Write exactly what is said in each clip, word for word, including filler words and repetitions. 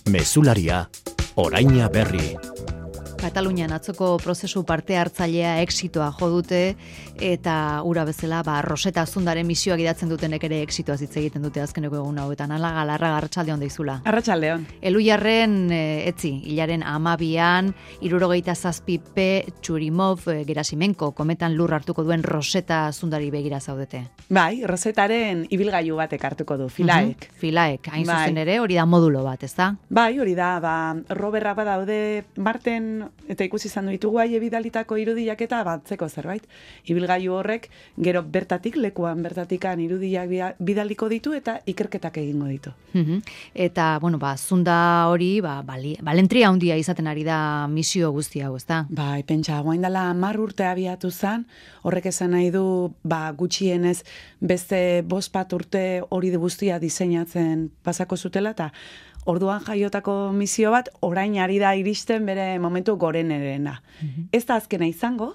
Mezularia, oraina berri. Katalunian atzoko prozesu parte hartzailea exitoa jo dute eta ura bezala ba Roseta Azundaren misioak idatzen dutenek ere exitoaz hitz egiten dute azkeneko egun hauetan. Hala Galarraga arratsaldeon deizula. Arratsaldeon. Elujarren e, etzi hilaren hamabian hirurogeita zazpi P Churimov e, Gerasimenko kometan lur hartuko duen Roseta Azundari begira zaudete. Bai, Rosetaren ibilgailu batek hartuko du, Philaek. Uh-huh. Philaek, hain bai. zuzen ere, hori da modulo bat, ezta? Bai, hori da, ba, roberrak badaude Marten eta ikusi izan ditugu haie bidalitako irudiak eta batzeko zerbait. Ibilgailu horrek gero bertatik, lekuan bertatikan irudiak bidaliko ditu eta ikerketak egingo ditu. Uh-huh. Eta, bueno, ba, zunda hori, ba, bali, balentria handia izaten ari da misio guzti hau, ezta? Bai, pentsa, guain dela hamar urte abiatu zen, horrek esan nahi du, ba, gutxienez beste bost bat urte hori guztia diseinatzen pasako zutela, eta orduan jaiotako misio bat, orain ari da iristen bere momentu gorenerena. Mm-hmm. Ez da azkena izango,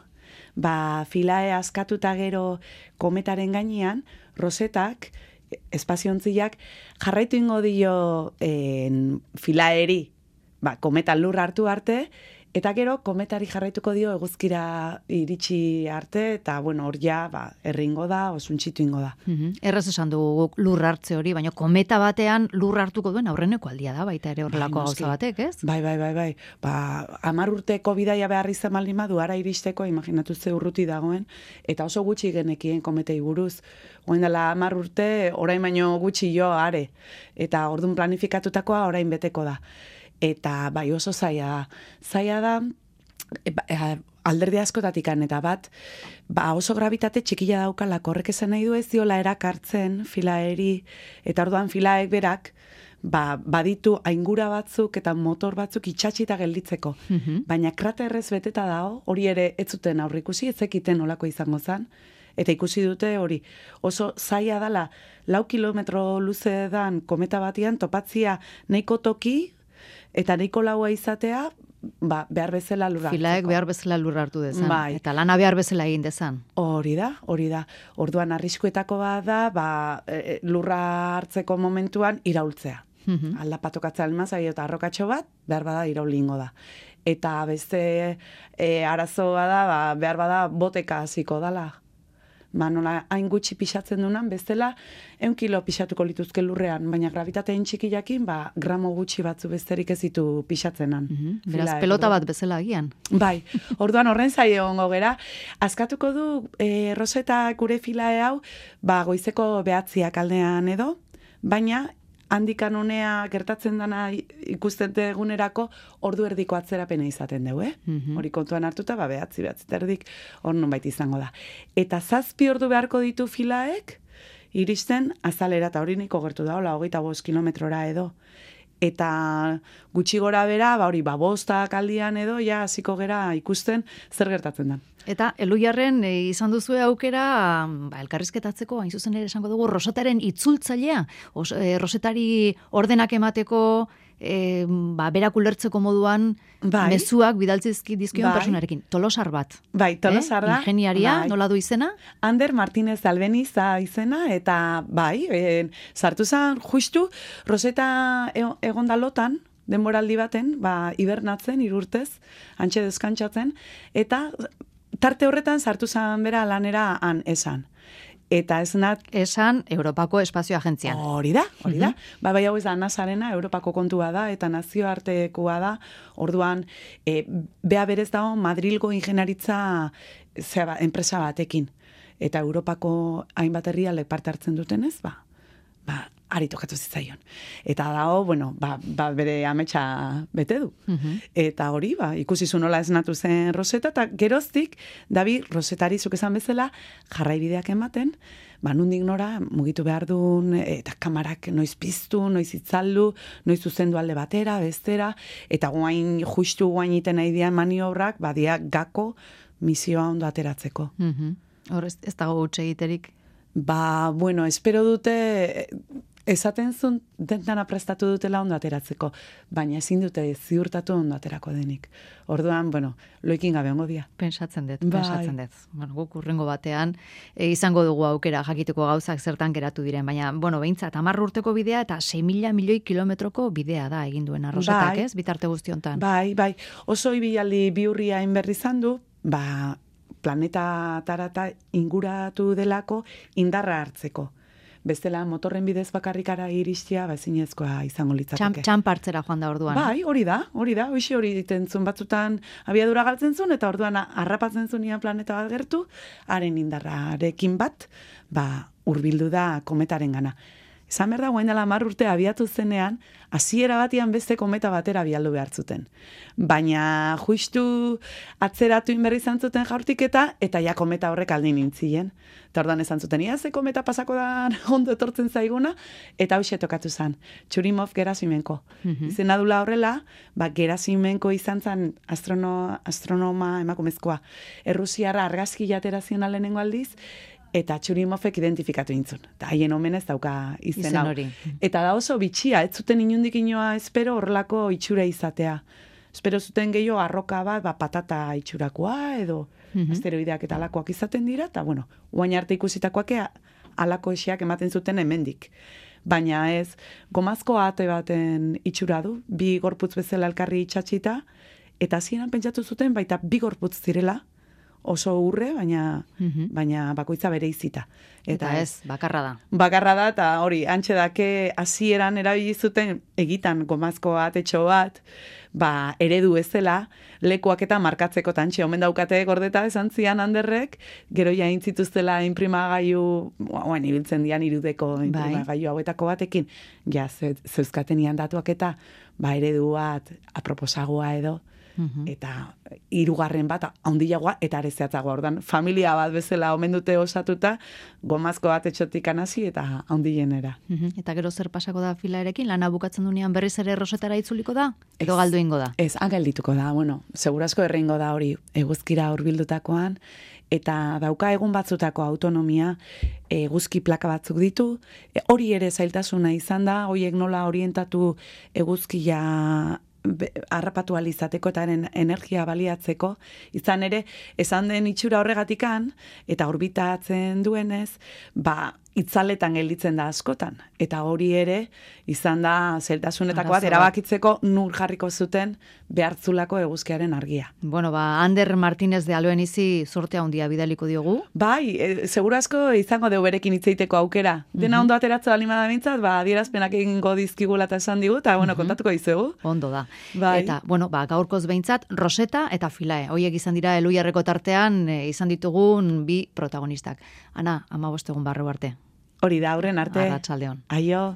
ba, Philae askatuta gero kometaren gainean, Rosetak, espaziontziak, jarraitu ingo dio en, Philaeri, ba, kometan lur hartu arte, eta gero kometari jarraituko dio eguzkira iritsi arte, eta bueno, hor ja, ba, erringo da, osuntxitu ingo da. Mm-hmm. Erraz esan dugu lur hartze hori, baina kometa batean lur hartuko duen aurreneko aldia da, baita ere horrelako gauza batek, ez? Bai, bai, bai, bai. Ba, hamar urteko bidaia behar izan baldin badu, ara iristeko, imaginatu ze urruti dagoen, eta oso gutxi genekien kometei buruz. Oen dela hamar urte, orain baino gutxi jo, are. Eta ordun planifikatutakoa orain beteko da. Eta bai oso zaila da. Zaila da, e, e, alderdi askotatikan eta bat, ba oso gravitate txikila daukalako, horrek esan nahi du ez diola erakartzen Philaeri, eta orduan Philaek berak, ba, baditu aingura batzuk eta motor batzuk itxatxita gelditzeko. Mm-hmm. Baina kraterrez beteta dago, hori ere ez zuten aurrikusi, ez zekiten olako izango zen, eta ikusi dute hori oso zaila dela, lau kilometro luze dan kometa batian topatzia nahiko toki, eta nahiko laua izatea, ba, behar bezala lur hartuko. Philaek behar bezala lur hartu dezan. Bai. Eta lana behar bezala egin dezan. Hori da, hori da. Orduan arriskuetako bat da, ba, e, lurra hartzeko momentuan iraultzea. Mm-hmm. Aldapatokatzea almazai eta arrokatxo bat, behar bada iraulingo da. Eta beste e, arazoa da, ba, behar bada boteka hasiko dala. Ba, nola, hain gutxi pixatzen dunan, bestela, eun kilo pixatuko lituzke lurrean, baina gravitatein txikiakin, ba, gramo gutxi batzu besterik ez ditu pixatzenan. Mm-hmm. Beraz, pelota bat bezala agian. Bai, orduan horren zaio ongo gera. Azkatuko du, e, Roseta gure Philae hau, ba, goizeko behatziak aldean edo, baina, handikan honea gertatzen dana ikusten egunerako ordu erdiko atzerapena izaten dugu, eh? Mm-hmm. Hori kontuan hartuta, ba, behatzi, behatzi terdik, hor nonbait izango da. Eta zazpi ordu beharko ditu Philaek, iristen azalera, eta hori niko gertu da, hola, hogeita bost kilometrora edo. Eta gutxi gora bera, ba hori, ba, bostak aldian edo, ja, hasiko gera ikusten zer gertatzen da. Eta Elujarren e, izan duzue aukera, ba, elkarrizketatzeko, hain zuzen ere esango dugu, Rosetaren itzultzailea, Os, e, Rosetari ordenak emateko, e, ba, berak ulertzeko moduan, bai. Mezuak bidaltzizki dizkion bai. Personarekin. Tolosar bat. Bai, Tolosar da. Eh? Ingeniaria, bai. Nola du izena? Ander Martínez Albeniz da izena, eta bai, e, sartu zen justu, Roseta egon da lotan, denboraldi baten, ba, hibernatzen, irurtez, antxe deskantzatzen, eta tarte horretan sartu zen bera lanera han esan. Eta ez nat... Esan Europako Espazio Agentzian. Hori da, hori da. Mm-hmm. Ba, bai hau ez da nasarena, Europako kontua da, eta nazioartekoa da. Orduan, e, bea berez dago Madrilgo ingenieritza zera, enpresa batekin. Eta Europako hainbat herrialde parte hartzen dutenez, ba, ba, ari tokatu zitzaion. Eta dago, bueno, ba, ba bere ametsa bete du. Mm-hmm. Eta hori, ba, ikusi zu nola esnatu zen Roseta, eta geroztik, dabi, Rosetari zuk esan bezala, jarraibideak ematen, ba, nundik nora, mugitu behar duen, eta kamarak noiz piztu, noiz itzaldu, noiz zuzendu alde batera, bestera, eta guain, justu guain iten nahi dian maniobrak, badia gako misioa ondo ateratzeko. Mm-hmm. Hor ez, ez dago utxe egiterik. Ba, bueno, espero dute esaten zuen dentana prestatu dutela ondo ateratzeko, baina ezin dute ziurtatu ondo aterako denik. Orduan, bueno, loikin gabe ongo dia. Pentsatzen dut, Bai. pentsatzen dut. Bueno, guk urrengo batean e, izango dugu aukera jakiteko gauzak zertan geratu diren, baina, bueno, behintzat, hamar urteko bidea eta sei mila milioi kilometroko bidea da egin duen arrosetak, Bai. ez? Bitarte guztiontan. Bai, bai, oso ibilaldi biurria inberri izan du, ba, planeta tarata inguratu delako indarra hartzeko. Bestela motorren bidez bakarrikara iristia, ba, ezinezkoa izango Txan, litzateke. txanpartzera joan da orduan. Bai, hori da, hori da, hoxe hori egiten zuen batzutan abiadura galtzen zuen, eta orduan harrapatzen zuenean planeta bat gertu, haren indarrarekin bat, ba, hurbildu da kometaren gana. Esan behar da, guain dela hamar urte abiatu zenean, hasiera batian beste kometa batera bialdu behar zuten. Baina justu atzeratu inberri izan zuten jaurtiketa, eta ja kometa horrek aldin nintzien. Eta ordan esan zuten, ia ze kometa pasako da ondo etortzen zaiguna, eta hauxe tokatu zen. Churimov Gerasimenko. Mhm. Izena dula horrela, ba, Gerasimenko izan zen astrono, astronoma emakumezkoa. Errusiarra argazki jatera zion lehenengo aldiz, eta Txurimovek identifikatu intzun. Eta haien omenez dauka izen, Izen hau. hori. Eta da oso bitxia, ez zuten inundik inoa espero horrelako itxura izatea. Espero zuten gehiago arroka bat, ba, patata itxurakoa, edo Mhm. asteroideak eta alakoak izaten dira, eta bueno, guain arte ikusitakoak ea, alako esiak ematen zuten hemendik. Baina ez, gomazko ate baten itxura du, bi gorputz bezala elkarri itxatxita, eta hasieran pentsatu zuten baita bi gorputz zirela, oso urre, baina, Mhm. baina bakoitza bere izita. Eta ez, bakarra da. Bakarra da, eta hori, antxe dake hasieran erabili zuten egitan gomazko atetxo bat, ba, eredu ezela, lekuak eta markatzeko tantxe, omen daukate gordeta esan zian handerrek, gero jain zituztela inprimagailu, oen, ibiltzen dian irudeko inprimagailu hauetako batekin, ja, ze- zeuzkatenian datuak eta, ba, eredu bat, aproposagoa edo, Mhm. eta hirugarren bat handiagoa eta arezeatzagoa. Ordan familia bat bezala omen dute osatuta, gomazko bat etxotik hasi eta handienera. Mhm. Eta gero zer pasako da filarekin, lana bukatzen dunean berriz ere Rosetara itzuliko da? Edo Ez. galdu ingo da? Ez, ageldituko da, bueno, segurasko erreingo da hori eguzkira hurbildutakoan, eta dauka egun batzutako autonomia, eguzki plaka batzuk ditu, e, hori ere zailtasuna izan da, horiek nola orientatu eguzkia be- harrapatu ahal izateko eta haren energia baliatzeko, izan ere, esan den itxura horregatikan, eta orbitatzen duenez, ba, itzaletan gelditzen da askotan. Eta hori ere, izan da zeltasunetako bat, Arazo bat. erabakitzeko nur jarriko zuten behartzulako eguzkiaren argia. Bueno, ba, Ander Martínez de Aloenizi sorte handia bidaliko diogu. Bai, e, segurazko izango deu berekin hitzeiteko aukera. Dena ondo ateratze bali bada mintzat, ba, adierazpenak egingo dizkigula eta esan digu, eta, bueno, kontatuko dizugu. Ondo da. Bai. Eta, bueno, ba, gaurkoz behintzat, Roseta eta Filae. Hoiek izan dira Eluiarreko tartean e, izan ditugun bi protagonistak. Ana, ama bostegun barru arte. Hori da, aurren arte. Arratsaldeon. Aio.